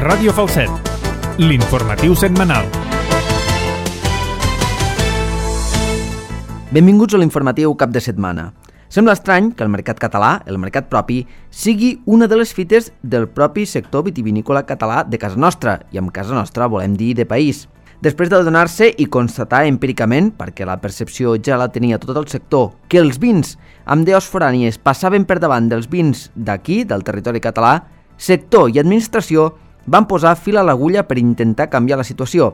Ràdio Falset, l'informatiu setmanal. Benvinguts a l'informatiu cap de setmana. Sembla estrany que el mercat català, el mercat propi, sigui una de les fites del propi sector vitivinícola català de casa nostra, i amb casa nostra volem dir de país. Després d'adonar-se i constatar empíricament, perquè la percepció ja la tenia tot el sector, que els vins amb deos forànies passaven per davant dels vins d'aquí, del territori català, sector i administració van posar fil a l'agulla per intentar canviar la situació.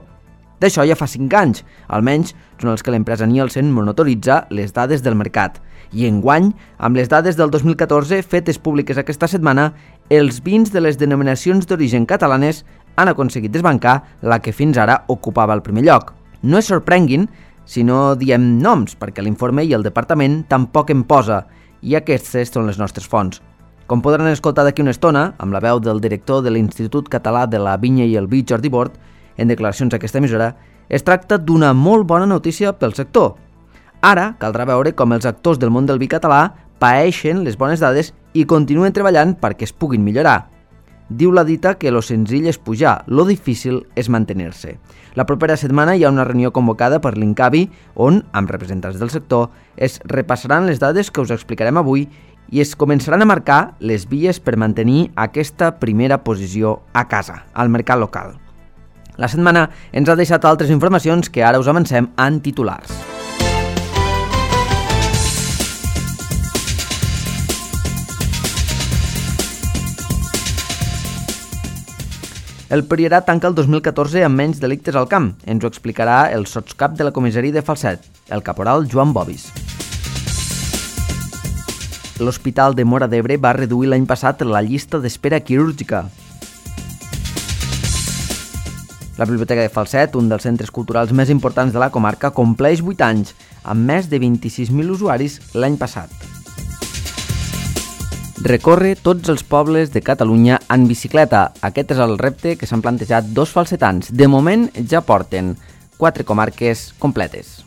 D'això ja fa 5 anys, almenys són els que l'empresa Nielsen monitoritza les dades del mercat. I enguany, amb les dades del 2014 fetes públiques aquesta setmana, els vins de les denominacions d'origen catalanes han aconseguit desbancar la que fins ara ocupava el primer lloc. No es sorprenguin si no diem noms, perquè l'informe i el departament tampoc en posa, i aquestes són les nostres fonts. Com podran escoltar d'aquí una estona, amb la veu del director de l'Institut Català de la Vinya i el Vi, Jordi Bort, en declaracions a aquesta emissora, es tracta d'una molt bona notícia pel sector. Ara caldrà veure com els actors del món del vi català paeixen les bones dades i continuen treballant perquè es puguin millorar. Diu la dita que lo senzill és pujar, lo difícil és mantenir-se. La propera setmana hi ha una reunió convocada per l'Incavi on, amb representants del sector, es repassaran les dades que us explicarem avui i es començaran a marcar les vies per mantenir aquesta primera posició a casa, al mercat local. La setmana ens ha deixat altres informacions que ara us avancem en titulars. El Priorat tanca el 2014 amb menys delictes al camp. Ens ho explicarà el sotscap de la comissaria de Falset, el caporal Joan Bobis. L'Hospital de Móra d'Ebre va reduir l'any passat la llista d'espera quirúrgica. La Biblioteca de Falset, un dels centres culturals més importants de la comarca, compleix 8 anys, amb més de 26.000 usuaris l'any passat. Recorre tots els pobles de Catalunya en bicicleta. Aquest és el repte que s'han plantejat 2 falsetans. De moment ja porten 4 comarques completes.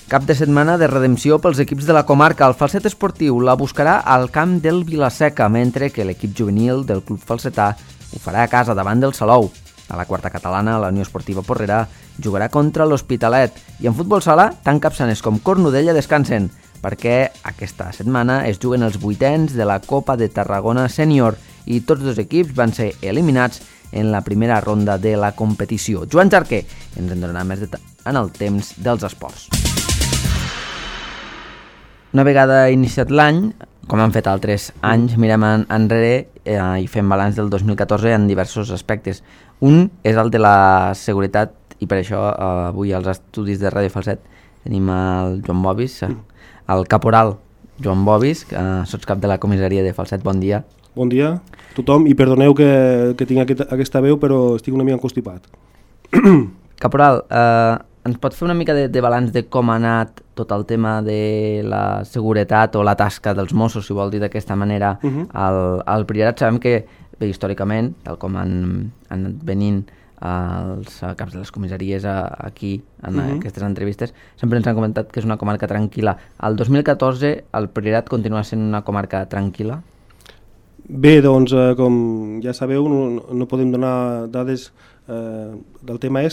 Cap de setmana de redempció pels equips de la comarca. El Falset Esportiu la buscarà al camp del Vilaseca, mentre que l'equip juvenil del Club Falsetà ho farà a casa davant del Salou. A la quarta catalana, la Unió Esportiva Porrera jugarà contra l'Hospitalet i en futbol sala, tant capçanes com Cornudella descansen, perquè aquesta setmana es juguen els 8ens de la Copa de Tarragona Sènior i tots 2 equips van ser eliminats en la primera ronda de la competició. Joan Jarquer ens en donarà més detalls en el temps dels esports. Una vegada iniciat l'any, com han fet altres anys, mirem enrere i fem balanç del 2014 en diversos aspectes. Un és el de la seguretat i per això avui als estudis de Ràdio Falset tenim el Joan Bobis, el caporal Joan Bobis, sotscap de la comissaria de Falset. Bon dia. Bon dia a tothom i perdoneu que tinc aquesta veu, però estic una mica constipat. Caporal, ens pot fer una mica de balanç de com ha anat tot el tema de la seguretat o la tasca dels Mossos, si vol dir d'aquesta manera, al Priorat? Sabem que, bé, històricament, tal com han anat venint els caps de les comissaries aquí en aquestes entrevistes, sempre ens han comentat que és una comarca tranquil·la. El 2014 el Priorat continua sent una comarca tranquil·la? Bé, doncs, com ja sabeu, no podem donar dades del tema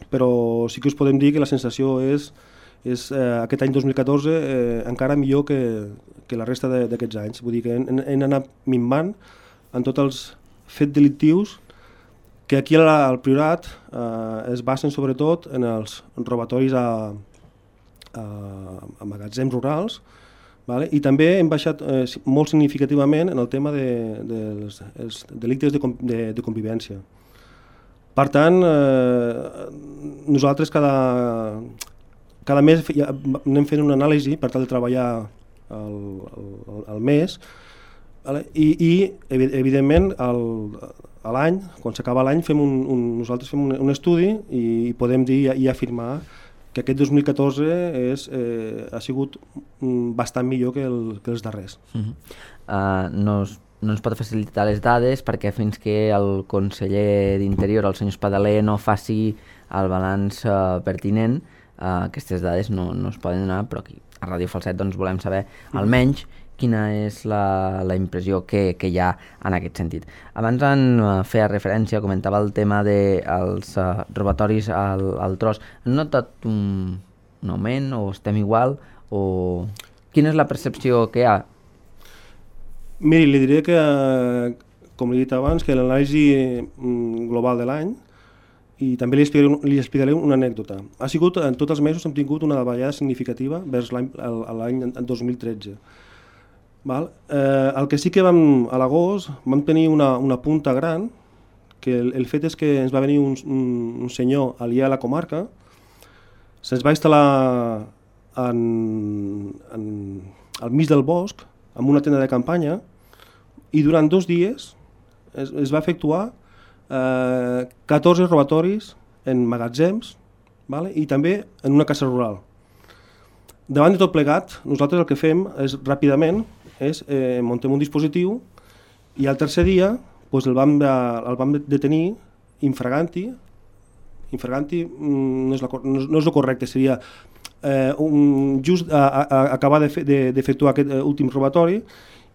però sí que us podem dir que la sensació és aquest any 2014 encara millor que la resta d'aquests anys. Vull dir que hem anat minvant en tots els fets delictius que aquí al Priorat es basen sobretot en els robatoris a magatzems rurals, vale? I també hem baixat molt significativament en el tema dels delictes de convivència. Per tant, nosaltres cada mes anem fent una anàlisi per tal de treballar el mes, vale? I evidentment a l'any, quan s'acaba l'any, nosaltres fem un estudi i podem dir i afirmar que aquest 2014 ha sigut bastant millor que els darrers. No ens pot facilitar les dades perquè fins que el conseller d'Interior, el senyor Espadaler, no faci el balanç pertinent, aquestes dades no es poden donar, però aquí a Ràdio Falset doncs, volem saber almenys quina és la impressió que hi ha en aquest sentit. Abans en feia referència, comentava el tema dels robatoris al tros. Han notat un augment o estem igual? O quina és la percepció que hi ha? Miri, li diré que, com he dit abans, que l'anàlisi global de l'any, i també li explicaré una anècdota. Ha sigut, en tots els mesos hem tingut una davallada significativa vers l'any 2013. Val? El que sí que a l'agost vam tenir una punta gran, que el fet és que ens va venir un senyor aliè a la comarca, se'ns va instal·lar al mig del bosc, amb una tenda de campanya, i durant 2 dies es va efectuar 14 robatoris en magatzems, vale? I també en una casa rural. Davant de tot plegat, nosaltres el que fem és ràpidament muntem un dispositiu i el tercer dia doncs el vam detenir infraganti no és el correcte, seria just acabar d'efectuar aquest últim robatori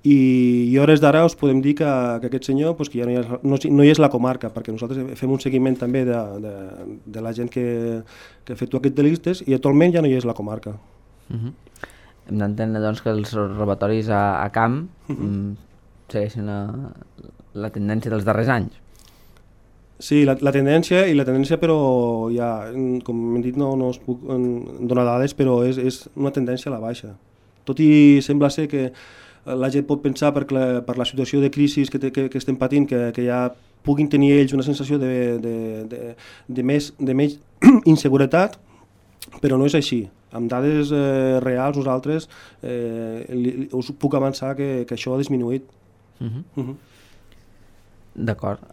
i hores d'ara us podem dir que aquest senyor que ja no hi és la comarca, perquè nosaltres fem un seguiment també de la gent que efectua aquests delictes i actualment ja no hi és la comarca. Hem d'entendre doncs, que els robatoris a camp segueixen la tendència dels darrers anys. Sí, la tendència però ja, com hem dit, no us puc donar dades, però és una tendència a la baixa. Tot i sembla ser que la gent pot pensar per la situació de crisi que estem patint que ja puguin tenir ells una sensació de més inseguretat, però no és així. Amb dades reals nosaltres us puc avançar que això ha disminuït. D'acord.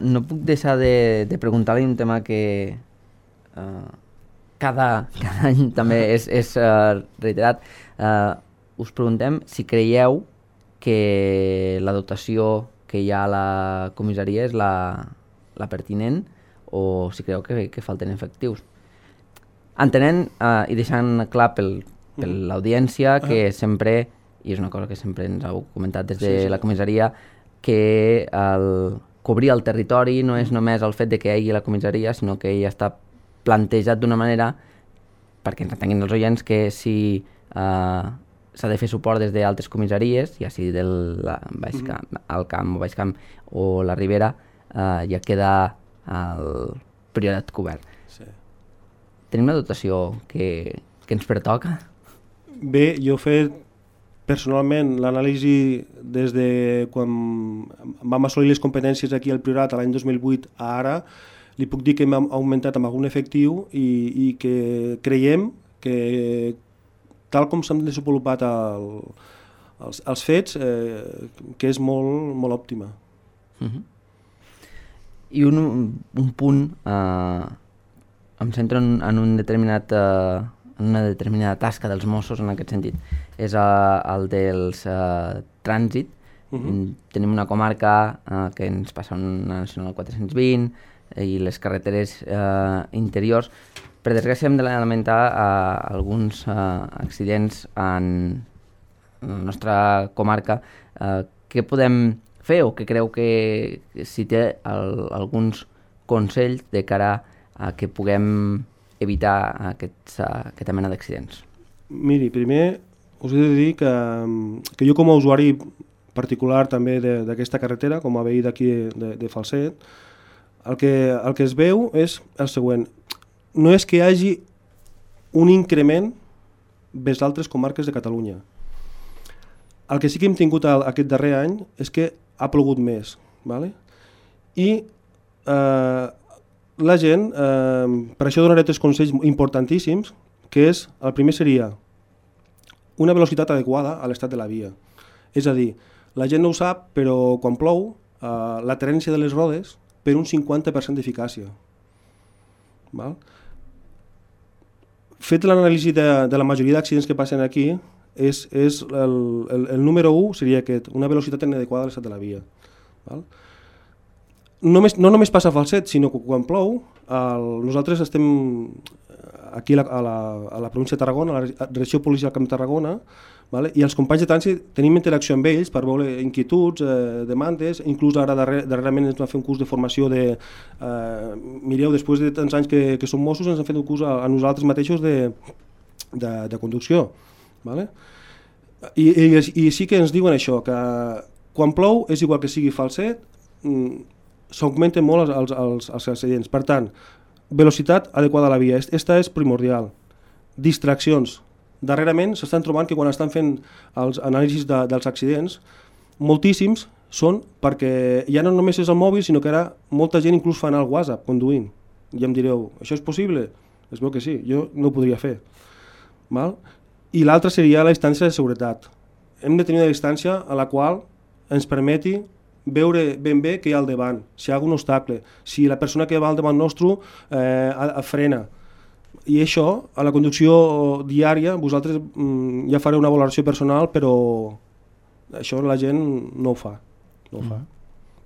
No puc deixar de preguntar-li un tema que cada any també és reiterat. Us preguntem si creieu que la dotació que hi ha a la comissaria és la pertinent o si creieu que falten efectius. Entenent i deixant clar per l'audiència que sempre, i és una cosa que sempre ens heu comentat des de la comissaria, que cobrir el territori no és només el fet de que hi hagi la comissaria, sinó que ja està plantejat d'una manera, perquè ens entenguin els oients, que si s'ha de fer suport des d'altres comissaries, ja sigui del al camp o baix camp o la Ribera, ja queda el priorat cobert. Sí. Tenim una dotació que ens pertoca? Bé, jo he fet personalment l'anàlisi des de quan vam assolir les competències aquí al Priorat l'any 2008 a ara, li puc dir que hem augmentat amb algun efectiu i que creiem que tal com s'han desenvolupat els fets, que és molt, molt òptima. I un punt, em centro en una determinada tasca dels Mossos en aquest sentit, és el dels trànsit. Tenim una comarca que ens passa una nacional 420 i les carreteres interiors. Per desgràcia hem de lamentar alguns accidents en la nostra comarca. Què podem fer o què creu que si té alguns consells de cara a que puguem evitar aquesta mena d'accidents? Miri, primer us he de dir que jo com a usuari particular també d'aquesta carretera, com a veí d'aquí de Falset, el que es veu és el següent. No és que hi hagi un increment vers altres comarques de Catalunya. El que sí que hem tingut aquest darrer any és que ha plogut més. Vale? I la gent, per això donaré 3 consells importantíssims, que és, el primer seria una velocitat adequada a l'estat de la via. És a dir, la gent no ho sap, però quan plou, la terència de les rodes per un 50% d'eficàcia. Val? Fet l'anàlisi de la majoria d'accidents que passen aquí, el número 1 seria aquest, una velocitat inadequada a l'estat de la via. Val? No només passa a Falset, sinó que quan plou, nosaltres estem aquí a la província de Tarragona, a la Direcció Policial Camp de Tarragona, vale? I els companys de trànsit tenim interacció amb ells per veure inquietuds, demandes, inclús ara darrerament ens va fer un curs de formació mireu, després de tants anys que som Mossos, ens han fet un curs a nosaltres mateixos de conducció, vale? I sí que ens diuen això, que quan plou és igual que sigui falset, s'augmenten molt els accidents. Per tant, velocitat adequada a la via, aquesta és primordial. Distraccions. Darrerament s'estan trobant que quan estan fent els anàlisis dels accidents, moltíssims són perquè ja no només és el mòbil, sinó que ara molta gent inclús fa anar el WhatsApp conduint. I em direu, això és possible? Es veu que sí, jo no ho podria fer. Val? I l'altra seria la distància de seguretat. Hem de tenir una distància a la qual ens permeti veure ben bé què hi ha al davant, si hi ha algun obstacle, si la persona que va al davant nostre frena. I això, a la conducció diària, vosaltres ja fareu una valoració personal, però això la gent no ho fa.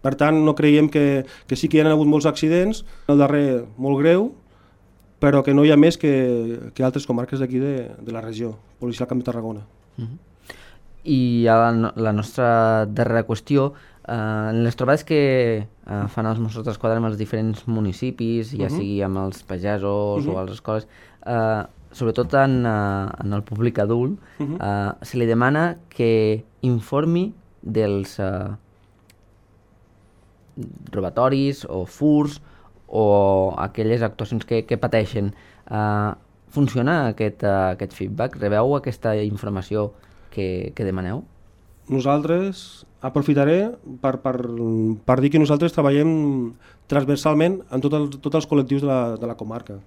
Per tant, no creiem que sí que hi ha hagut molts accidents, el darrer molt greu, però que no hi ha més que altres comarques d'aquí de la regió, Policial Camp de Tarragona. I la nostra darrera qüestió, en les trobades que fan els Mossos d'Esquadra amb els diferents municipis, ja sigui amb els pagesos o a les escoles, sobretot en el públic adult, se li demana que informi dels robatoris o furs o aquelles actuacions que pateixen. Funciona aquest feedback? Rebeu aquesta informació que demaneu? Nosaltres aprofitaré per dir que nosaltres treballem transversalment en tots els col·lectius de la comarca.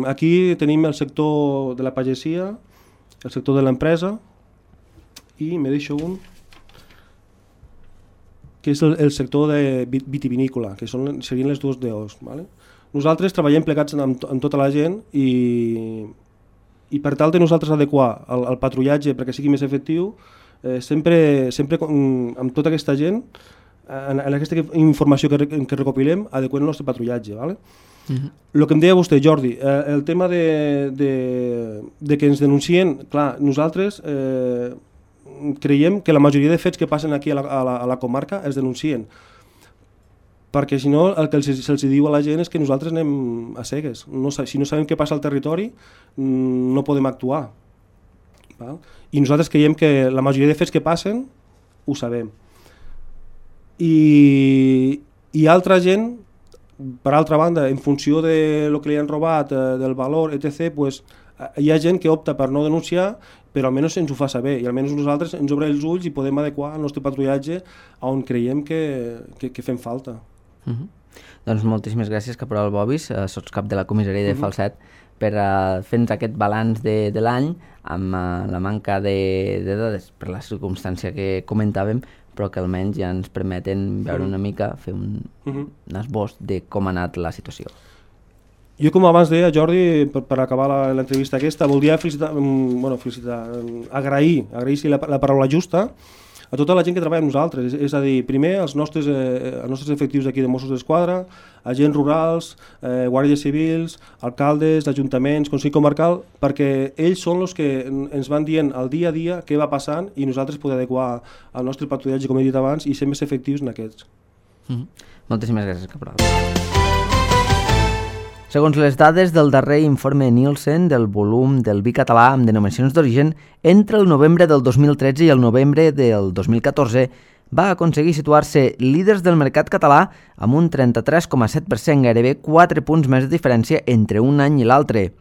Aquí tenim el sector de la pagesia, el sector de l'empresa i me deixo un que és el sector de vitivinícola, que serien les dues DOs. Vale? Nosaltres treballem plegats amb tota la gent i per tal de nosaltres adequar el patrullatge perquè sigui més efectiu, sempre amb tota aquesta gent, en aquesta informació que recopilem, adequem el nostre patrullatge. Vale? El que em deia vostè, Jordi, el tema de que ens denuncien, clar, nosaltres creiem que la majoria de fets que passen aquí a la comarca es denuncien, perquè si no el que se'ls diu a la gent és que nosaltres anem a cegues. Si no sabem què passa al territori no podem actuar. Val? I nosaltres creiem que la majoria de fets que passen ho sabem. I altra gent, per altra banda, en funció de lo que li han robat, del valor, etc., pues, hi ha gent que opta per no denunciar, però almenys ens ho fa saber i almenys nosaltres ens obrim els ulls i podem adequar el nostre patrullatge on creiem que fem falta. Doncs moltíssimes gràcies, caporal Bobis, sots cap de la comissaria de Falset, per fer-nos aquest balanç de l'any amb la manca de dades per la circumstància que comentàvem, però que almenys ja ens permeten veure una mica, fer un esbós de com ha anat la situació. Jo, com abans deia, Jordi, per acabar l'entrevista aquesta, voldria agrair si la paraula justa, a tota la gent que treballa amb nosaltres, és a dir, primer els nostres efectius d'aquí de Mossos d'Esquadra, agents rurals, guàrdies civils, alcaldes, ajuntaments, Consell Comarcal, perquè ells són els que ens van dient al dia a dia què va passant i nosaltres podem adequar el nostre patrullatge, com he dit abans, i ser més efectius en aquests. Moltíssimes gràcies, caporal. Segons les dades del darrer informe Nielsen del volum del vi català amb denominacions d'origen, entre el novembre del 2013 i el novembre del 2014 va aconseguir situar-se líders del mercat català amb un 33,7%, gairebé 4 punts més de diferència entre un any i l'altre.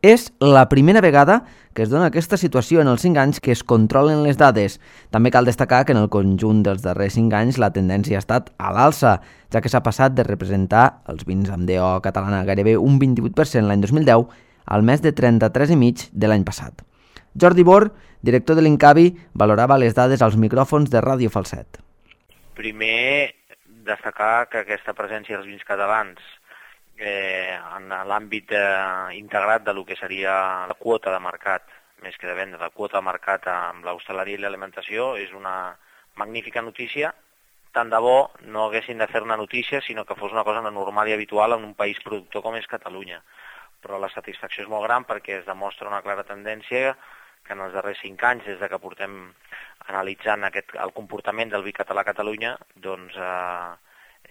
És la primera vegada que es dona aquesta situació en els 5 anys que es controlen les dades. També cal destacar que en el conjunt dels darrers 5 anys la tendència ha estat a l'alça, ja que s'ha passat de representar els vins amb DO catalana gairebé un 28% l'any 2010 al més de 33,5% de l'any passat. Jordi Bor, director de l'Incavi, valorava les dades als micròfons de Ràdio Falset. Primer, destacar que aquesta presència dels vins catalans en l'àmbit integrat de lo que seria la quota de mercat, més que de venda, la quota de mercat amb l'hostaleria i l'alimentació és una magnífica notícia. Tant de bo no haguessin de fer una notícia, sinó que fos una cosa normal i habitual en un país productor com és Catalunya. però la satisfacció és molt gran perquè es demostra una clara tendència que en els darrers 5 anys, des de que portem analitzant el comportament del vi català a Catalunya, doncs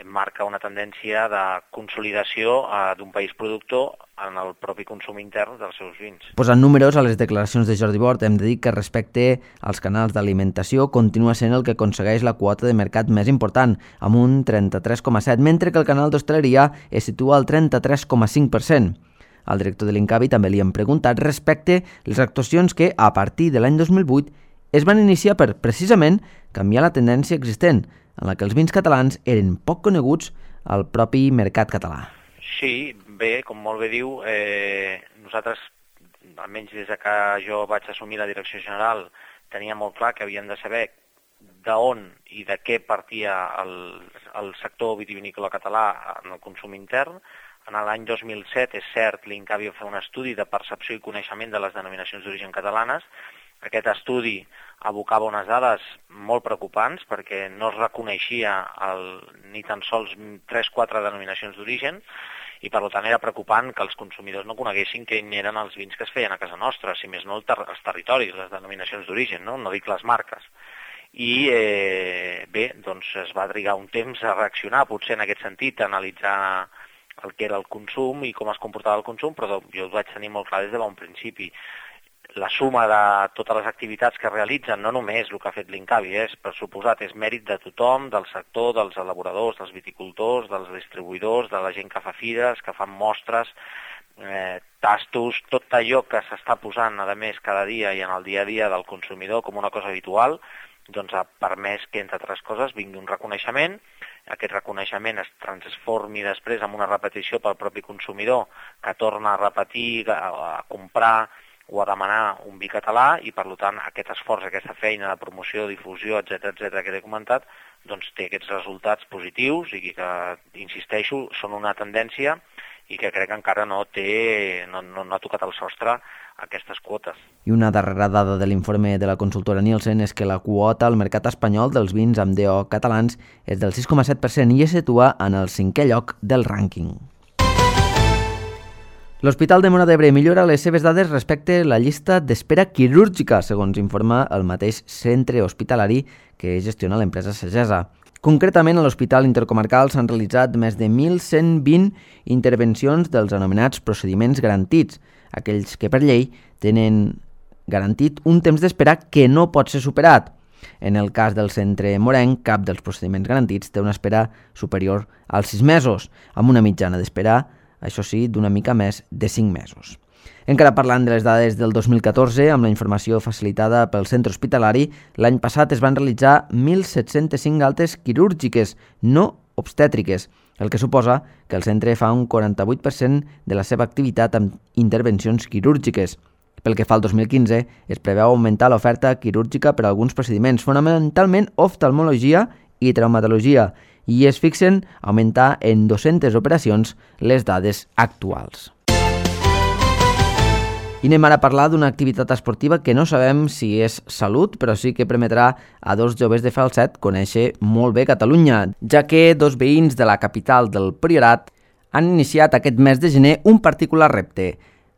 marca una tendència de consolidació d'un país productor en el propi consum intern dels seus vins. Posant números a les declaracions de Jordi Bort, hem de dir que respecte als canals d'alimentació continua sent el que aconsegueix la quota de mercat més important, amb un 33,7%, mentre que el canal d'hostaleria es situa al 33,5%. Al director de l'Incavi també li hem preguntat respecte les actuacions que, a partir de l'any 2008, es van iniciar per, precisament, canviar la tendència existent, en la que els vins catalans eren poc coneguts al propi mercat català. Sí, bé, com molt bé diu, nosaltres, almenys des que jo vaig assumir la direcció general, tenia molt clar que havíem de saber d'on i de què partia el sector vitivinícola català en el consum intern. En l'any 2007, és cert, l'Incavi va fer un estudi de percepció i coneixement de les denominacions d'origen catalanes. Aquest estudi abocava unes dades molt preocupants perquè no es reconeixia ni tan sols 3-4 denominacions d'origen i per tant era preocupant que els consumidors no coneguessin quins eren els vins que es feien a casa nostra, si més no els territoris, les denominacions d'origen, no dic les marques. I bé, doncs es va trigar un temps a reaccionar, potser en aquest sentit, a analitzar el que era el consum i com es comportava el consum, però jo ho vaig tenir molt clar des de bon principi. La suma de totes les activitats que realitzen, no només el que ha fet l'Incavi, per suposat, és mèrit de tothom, del sector, dels elaboradors, dels viticultors, dels distribuïdors, de la gent que fa fires, que fan mostres, tastos, tot allò que s'està posant, a més, cada dia i en el dia a dia del consumidor com una cosa habitual, doncs ha permès que, entre altres coses, vingui un reconeixement. Aquest reconeixement es transformi després en una repetició pel propi consumidor, que torna a repetir, a comprar o a demanar un vi català i, per tant, aquest esforç, aquesta feina de promoció, difusió, etc que t'he comentat, doncs té aquests resultats positius i que, insisteixo, són una tendència i que crec que encara no ha tocat el sostre aquestes quotes. I una darrera dada de l'informe de la consultora Nielsen és que la quota al mercat espanyol dels vins amb DO catalans és del 6,7% i es situa en el 5è lloc del rànquing. L'Hospital de Móra d'Ebre millora les seves dades respecte a la llista d'espera quirúrgica, segons informa el mateix centre hospitalari que gestiona l'empresa Sagesa. Concretament, a l'Hospital Intercomarcal s'han realitzat més de 1.120 intervencions dels anomenats procediments garantits, aquells que per llei tenen garantit un temps d'espera que no pot ser superat. En el cas del centre morenc, cap dels procediments garantits té una espera superior als 6 mesos, amb una mitjana d'espera, això sí, d'una mica més de 5 mesos. Encara parlant de les dades del 2014, amb la informació facilitada pel centre hospitalari, l'any passat es van realitzar 1.705 altes quirúrgiques, no obstètriques, el que suposa que el centre fa un 48% de la seva activitat amb intervencions quirúrgiques. Pel que fa al 2015, es preveu augmentar l'oferta quirúrgica per a alguns procediments, fonamentalment oftalmologia i traumatologia, i es fixen augmentar en 200 operacions les dades actuals. I anem ara a parlar d'una activitat esportiva que no sabem si és salut, però sí que permetrà a 2 joves de Falset conèixer molt bé Catalunya, ja que 2 veïns de la capital del Priorat han iniciat aquest mes de gener un particular repte.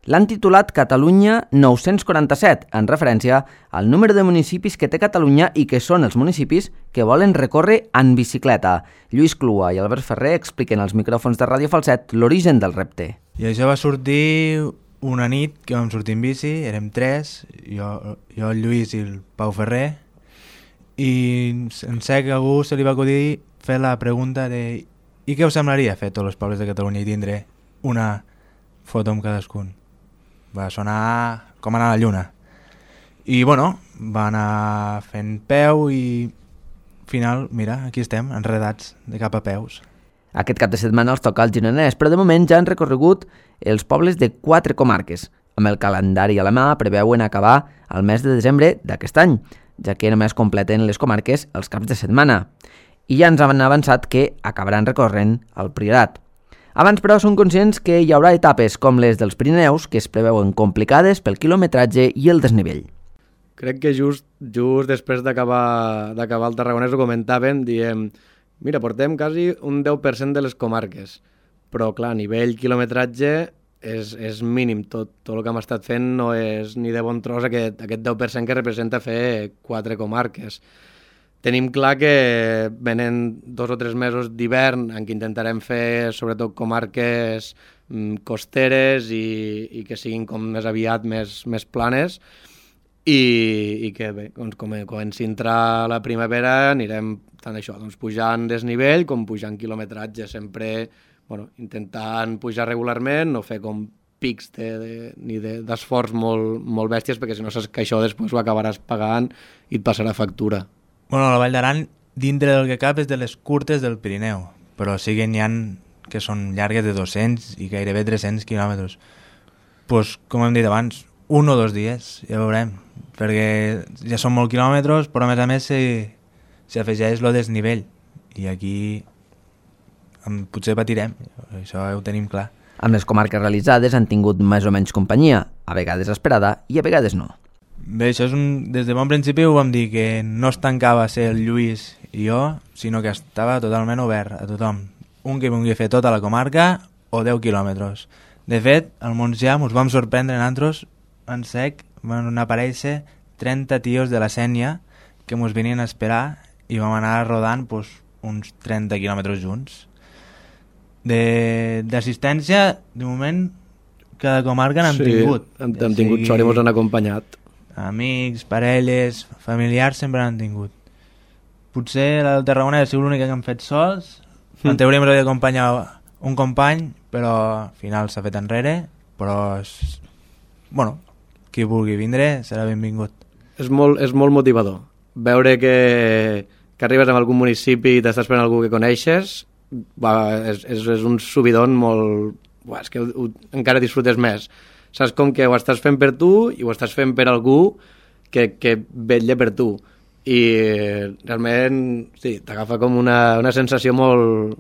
L'han titulat Catalunya 947, en referència al número de municipis que té Catalunya i que són els municipis que volen recórrer en bicicleta. Lluís Clua i Albert Ferrer expliquen als micròfons de Ràdio Falset l'origen del repte. I això va sortir una nit que vam sortir en bici, érem 3, jo el Lluís i el Pau Ferrer, i en sec a algú se li va acudir fer la pregunta de i què us semblaria fer tots els pobles de Catalunya i tindre una foto amb cadascun. Va sonar com anar a la lluna. I bueno, va anar fent peu i al final, mira, aquí estem, enredats de cap a peus. Aquest cap de setmana els toca al Gironès, però de moment ja han recorregut els pobles de 4 comarques. Amb el calendari a la mà preveuen acabar al mes de desembre d'aquest any, ja que només completen les comarques els caps de setmana. I ja ens han avançat que acabaran recorrent el Priorat. Abans, però, són conscients que hi haurà etapes com les dels Pirineus que es preveuen complicades pel quilometratge i el desnivell. Crec que just després d'acabar el Tarragonès ho comentàvem, diem, mira, portem quasi un 10% de les comarques, però clar, a nivell quilometratge és mínim. Tot el que hem estat fent no és ni de bon tros aquest 10% que representa fer 4 comarques. Tenim clar que venen 2 o 3 mesos d'hivern en què intentarem fer sobretot comarques costeres i que siguin com més aviat més planes i que bé, doncs, com comenci a entrar la primavera anirem tant això, doncs, pujant desnivell com pujant quilometratge, sempre intentant pujar regularment, no fer com pics ni d'esforç molt bèsties, perquè si no saps que això després ho acabaràs pagant i et passarà factura. Bueno, la Vall d'Aran, dintre del que cap, és de les curtes del Pirineu, però sí que n'hi ha que són llargues de 200 i gairebé 300 quilòmetres. Pues, com hem dit abans, 1 o 2 dies, ja veurem, perquè ja són molts quilòmetres, però a més s'hi afegeix el desnivell, i aquí potser patirem, això ho tenim clar. Amb les comarques realitzades han tingut més o menys companyia, a vegades esperada i a vegades no. Bé, això des de bon principi ho vam dir, que no es tancava a ser el Lluís i jo, sinó que estava totalment obert a tothom. Un que vulgui fer tota la comarca o 10 quilòmetres. De fet, al Montsià ens vam sorprendre nosaltres en sec, van aparèixer 30 tios de la Sénia que ens venien a esperar i vam anar rodant uns 30 quilòmetres junts. D'assistència, de moment, cada comarca n'hem tingut. Hem tingut sort i ens han acompanyat. Amics, parelles, familiars sempre n'han tingut. Potser la del Tarragona ha sigut l'única que hem fet sols. En teoria ens havia d'acompanyar un company, però al final s'ha fet enrere. Però, qui vulgui vindre serà benvingut. És molt motivador. Veure que arribes a algun municipi i t'estàs fent algú que coneixes, és un subidon molt... És que encara disfrutes més. Saps com que ho estàs fent per tu i ho estàs fent per algú que vetlla per tu. I realment, sí, t'agafa com una sensació molt...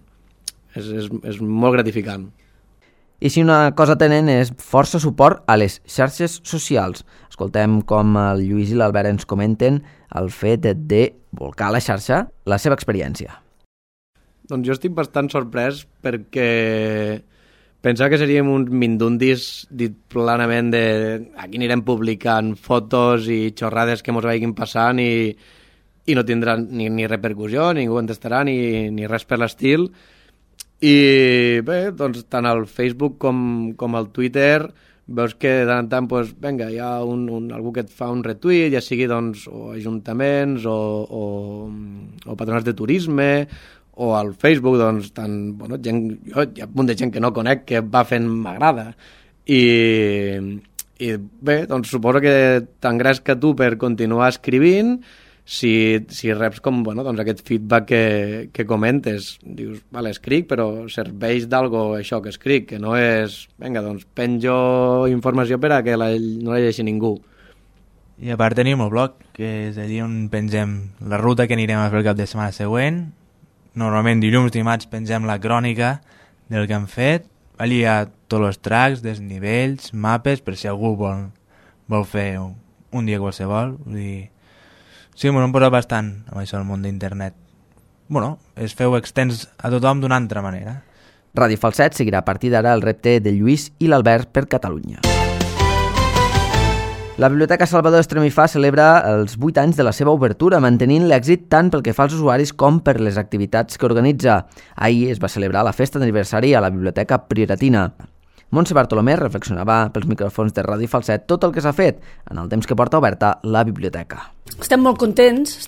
És molt gratificant. I si una cosa tenen és força suport a les xarxes socials. Escoltem com el Lluís i l'Albert ens comenten el fet de volcar a la xarxa la seva experiència. Doncs jo estic bastant sorprès perquè pensava que seríem uns mindundis dit planament de aquí anirem publicant fotos i xorrades que mos vagin passant i no tindran ni repercussió, ningú contestarà ni res per l'estil. I bé, doncs tant al Facebook com al Twitter veus que de tant en tant, doncs, vinga, hi ha algú que et fa un retweet, ja sigui doncs, o ajuntaments o patronats de turisme, o al Facebook, doncs, hi ha un munt de gent que no conec que va fent m'agrada. I bé, doncs suposo que t'engresca tu per continuar escrivint si reps com, doncs aquest feedback que comentes. Dius, vale, escric, però serveix d'algo això que escric, que no és, vinga, doncs penjo informació per a que no la llegeixi ningú. I a part tenim el blog, que és allí on pengem la ruta que anirem a fer el cap de setmana següent. Normalment dilluns, dimarts pengem la crònica del que hem fet. Allí hi ha tots els tracks, desnivells, mapes, per si algú vol fer un dia qualsevol. Vull dir, sí, m'ho hem posat bastant amb això del món d'internet. Es feu extens a tothom d'una altra manera. Ràdio Falset seguirà a partir d'ara el repte de Lluís i l'Albert per Catalunya. La Biblioteca Salvador Estremifà celebra els 8 anys de la seva obertura, mantenint l'èxit tant pel que fa als usuaris com per les activitats que organitza. Ahir es va celebrar la festa d'aniversari a la Biblioteca Prioratina. Montse Bartolomé reflexionava pels micròfons de Ràdio Falset tot el que s'ha fet en el temps que porta oberta la biblioteca. Estem molt contents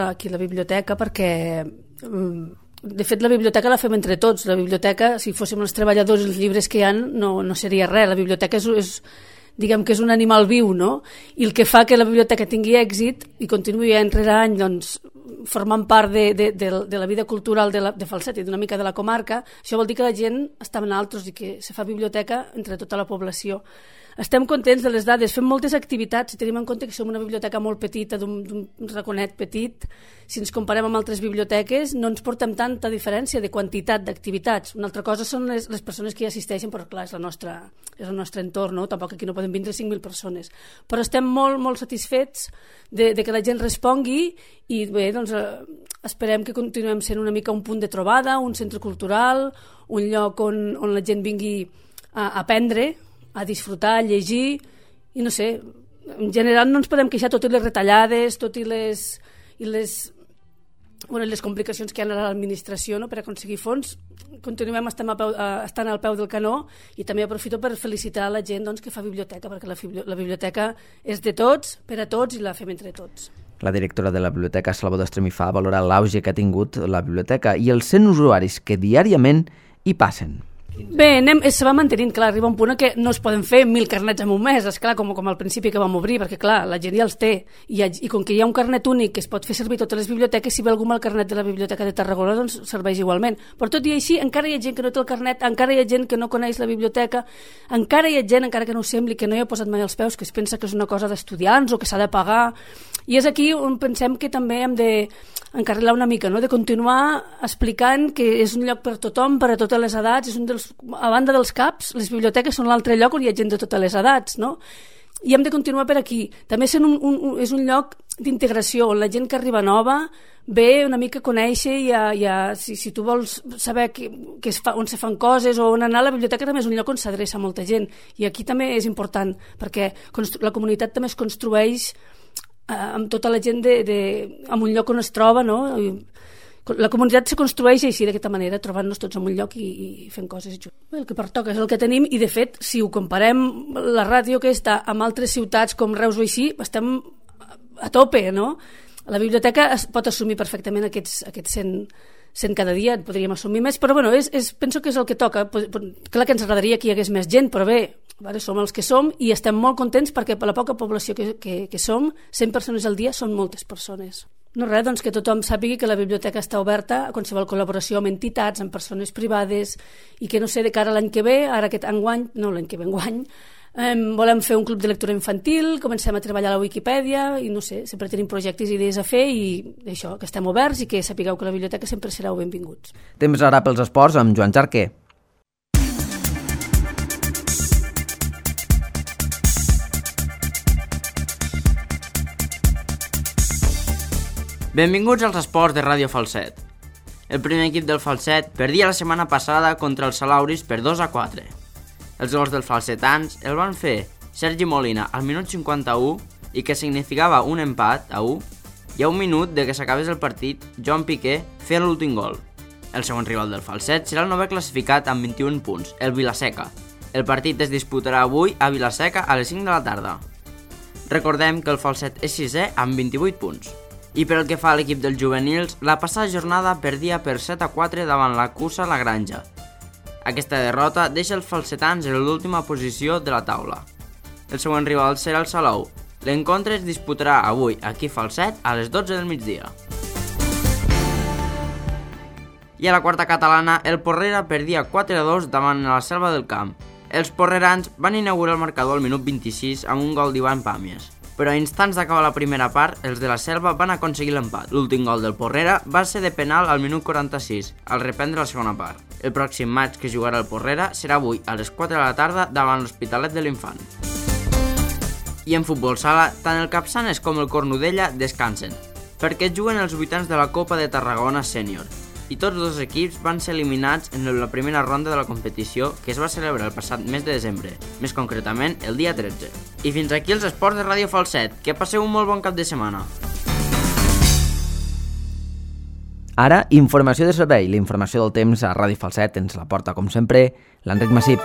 aquí a la biblioteca perquè, de fet, la biblioteca la fem entre tots. La biblioteca, si fóssim els treballadors i els llibres que hi ha, no seria res. La biblioteca diguem que és un animal viu, no? I el que fa que la biblioteca tingui èxit i continuï any rere any doncs, formant part de la vida cultural de Falset i d'una mica de la comarca, això vol dir que la gent està amb altres i que se fa biblioteca entre tota la població. Estem contents de les dades, fem moltes activitats i tenim en compte que som una biblioteca molt petita, d'un raconet petit. Si ens comparem amb altres biblioteques no ens portem tanta diferència de quantitat d'activitats. Una altra cosa són les persones que hi assisteixen, però clar, és el nostre entorn, no? Tampoc aquí no poden vindre 5.000 persones. Però estem molt, molt satisfets de que la gent respongui i bé, doncs esperem que continuem sent una mica un punt de trobada, un centre cultural, un lloc on la gent vingui a aprendre, a disfrutar, a llegir, i no sé, en general no ens podem queixar, tot i les retallades, tot i les complicacions que hi ha a l'administració, no?, per aconseguir fons. Continuem estant al peu del canó, i també aprofito per felicitar la gent, doncs, que fa biblioteca, perquè la biblioteca és de tots, per a tots, i la fem entre tots. La directora de la Biblioteca Salvador Estremifà valora l'auge que ha tingut la biblioteca i els 100 usuaris que diàriament hi passen. Bé, se va mantenint, clar, arriba un punt que no es poden fer 1.000 carnets en un mes, esclar, com al principi que vam obrir, perquè clar, la gent ja els té, i com que hi ha un carnet únic que es pot fer servir a totes les biblioteques, si ve algú amb el carnet de la Biblioteca de Tarragona, doncs serveix igualment. Però tot i així, encara hi ha gent que no té el carnet, encara hi ha gent que no coneix la biblioteca, encara hi ha gent, encara que no ho sembli, que no hi ha posat mai els peus, que es pensa que és una cosa d'estudiants o que s'ha de pagar, i és aquí on pensem que també hem d'encarrilar una mica, no?, de continuar explicant que és un lloc per tothom, per a totes les edats, és un dels, a banda dels CAPs, les biblioteques són l'altre lloc on hi ha gent de totes les edats, no? I hem de continuar per aquí. També és un lloc d'integració on la gent que arriba nova ve una mica a conèixer si tu vols saber on se fan coses o on anar, la biblioteca també és un lloc on s'adreça molta gent, i aquí també és important perquè la comunitat també es construeix amb tota la gent en un lloc on es troba, no? La comunitat se construeix així, d'aquesta manera, trobant-nos tots en un lloc i fent coses junts. El que pertoca és el que tenim, i de fet, si ho comparem la ràdio aquesta amb altres ciutats com Reus o així, estem a tope, no? La biblioteca pot assumir perfectament aquests 100 cada dia, en podríem assumir més, però bueno, penso que és el que toca. Clar que ens agradaria que hi hagués més gent, però bé, som els que som i estem molt contents perquè per la poca població que som, 100 persones al dia són moltes persones. No res, doncs que tothom sàpiga que la biblioteca està oberta a qualsevol col·laboració amb entitats, amb persones privades, i que no sé, de cara a l'any que ve, enguany, volem fer un club de lectura infantil, comencem a treballar a la Wikipedia i no sé, sempre tenim projectes i idees a fer, i això, que estem oberts i que sapigueu que la biblioteca sempre sereu benvinguts. Temps ara pels esports amb Joan Jarquer. Benvinguts als esports de Ràdio Falset. El primer equip del Falset perdia la setmana passada contra els Salauris per 2-4. Els gols dels falsetans el van fer Sergi Molina al minut 51, i que significava un empat a 1, i a un minut de que s'acabés el partit, Joan Piqué feia l'últim gol. El següent rival del Falset serà el novè classificat amb 21 punts, el Vilaseca. El partit es disputarà avui a Vilaseca a les 5 de la tarda. Recordem que el Falset és sisè amb 28 punts. I per el que fa a l'equip dels juvenils, la passada jornada perdia per 7-4 davant la Cusa La Granja. Aquesta derrota deixa els falsetans en l'última posició de la taula. El següent rival serà el Salou. L'encontre es disputarà avui aquí a Falset a les 12 del migdia. I a la quarta catalana, el Porrera perdia 4-2 davant la Selva del Camp. Els porrerans van inaugurar el marcador al minut 26 amb un gol d'Ivan Pàmies. Però a instants d'acabar la primera part, els de la Selva van aconseguir l'empat. L'últim gol del Porrera va ser de penal al minut 46, al reprendre la segona part. El pròxim match que jugarà el Porrera serà avui a les 4 de la tarda davant l'Hospitalet de l'Infant. I en futbol sala, tant el Capçanes com el Cornudella descansen, perquè juguen els vuitens de la Copa de Tarragona Sènior, i tots dos equips van ser eliminats en la primera ronda de la competició, que es va celebrar el passat mes de desembre, més concretament el dia 13. I fins aquí els esports de Ràdio Falset. Que passeu un molt bon cap de setmana. Ara, informació de servei. La informació del temps a Ràdio Falset ens la porta, com sempre, l'Enric Massip.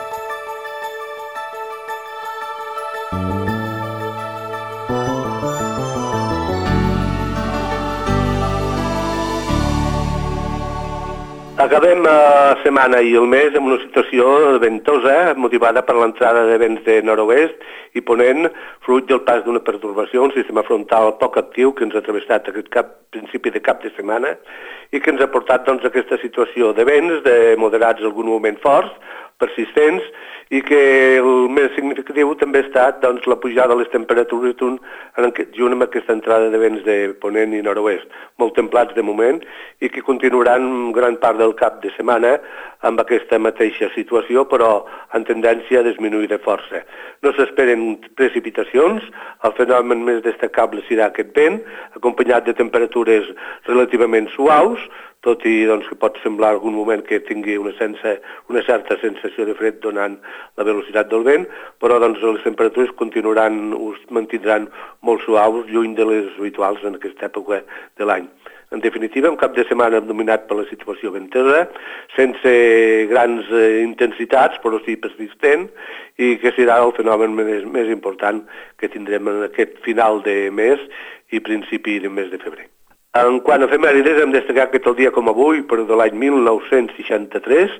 Acabem la setmana i el mes amb una situació ventosa motivada per l'entrada de vents de nord-oest i ponent, fruit del pas d'una pertorbació, un sistema frontal poc actiu que ens ha travessat aquest principi de cap de setmana i que ens ha portat aquesta situació de vents, de moderats en algun moment forts, persistents, i que el més significatiu també ha estat la pujada de les temperatures junt amb aquesta entrada de vents de ponent i nord-oest, molt templats de moment, i que continuaran gran part del cap de setmana amb aquesta mateixa situació, però en tendència a disminuir de força. No s'esperen precipitacions, el fenomen més destacable serà aquest vent, acompanyat de temperatures relativament suaus, tot i doncs, que pot semblar algun moment que tingui una certa sensació de fred donant la velocitat del vent, però doncs, les temperatures es mantindran molt suaus, lluny de les habituals en aquesta època de l'any. En definitiva, un cap de setmana dominat per la situació ventosa, sense grans intensitats, però sí persistent, i que serà el fenomen més important que tindrem en aquest final de mes i principi del mes de febrer. En quant a efemèrides, hem destacat que tal dia com avui, però de l'any 1963,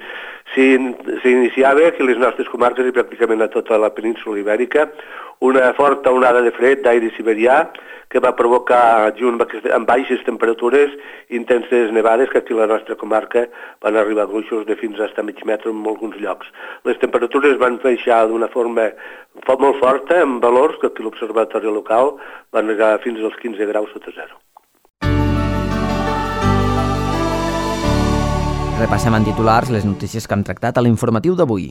s'iniciava aquí a les nostres comarques i pràcticament a tota la península Ibèrica una forta onada de fred d'aire siberià que va provocar, junt amb baixes temperatures, intenses nevades que aquí a la nostra comarca van arribar a gruixos de fins a mig metre en alguns llocs. Les temperatures van baixar d'una forma molt forta, amb valors que aquí a l'observatori local van arribar fins als 15 graus sota zero. Repassem en titulars les notícies que hem tractat a l'informatiu d'avui.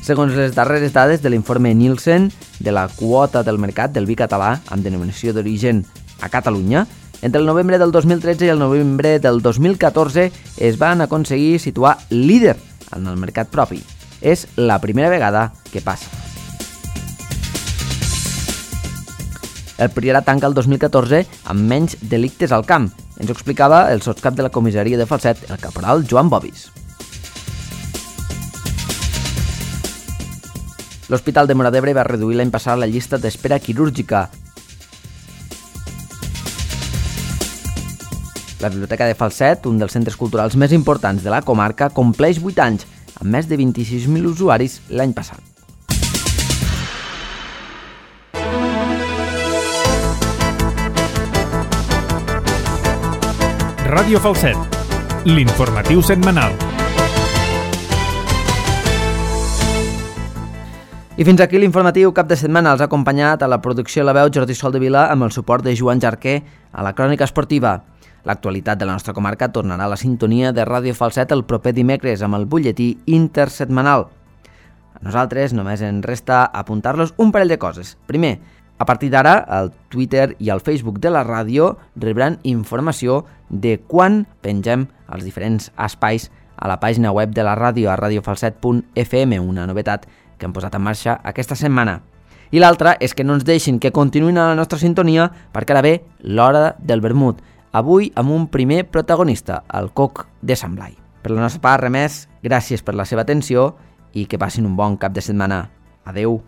Segons les darreres dades de l'informe Nielsen de la quota del mercat del vi català amb denominació d'origen a Catalunya, entre el novembre del 2013 i el novembre del 2014 es van aconseguir situar líder en el mercat propi. És la primera vegada que passa. El Priorat tanca el 2014 amb menys delictes al camp. Ens ho explicava el sotscap de la comissaria de Falset, el caporal Joan Bobis. L'Hospital de Móra d'Ebre va reduir l'any passat la llista d'espera quirúrgica. La Biblioteca de Falset, un dels centres culturals més importants de la comarca, compleix 8 anys, amb més de 26.000 usuaris l'any passat. Ràdio Falset, l'informatiu setmanal. I fins aquí l'informatiu cap de setmana. Els ha acompanyat a la producció La Veu Jordi Soldevila amb el suport de Joan Jarquer a la crònica esportiva. L'actualitat de la nostra comarca tornarà a la sintonia de Ràdio Falset el proper dimecres amb el butlletí intersetmanal. A nosaltres només ens resta apuntar-los un parell de coses. Primer, a partir d'ara, el Twitter i el Facebook de la ràdio rebran informació de quan pengem els diferents espais a la pàgina web de la ràdio a radiofalset.fm, una novetat que hem posat en marxa aquesta setmana. I l'altra és que no ens deixin que continuïn a la nostra sintonia perquè ara ve l'hora del vermut, avui amb un primer protagonista, el Coc de Sant Blai. Per la nostra part, res més, gràcies per la seva atenció i que passin un bon cap de setmana. Adeu!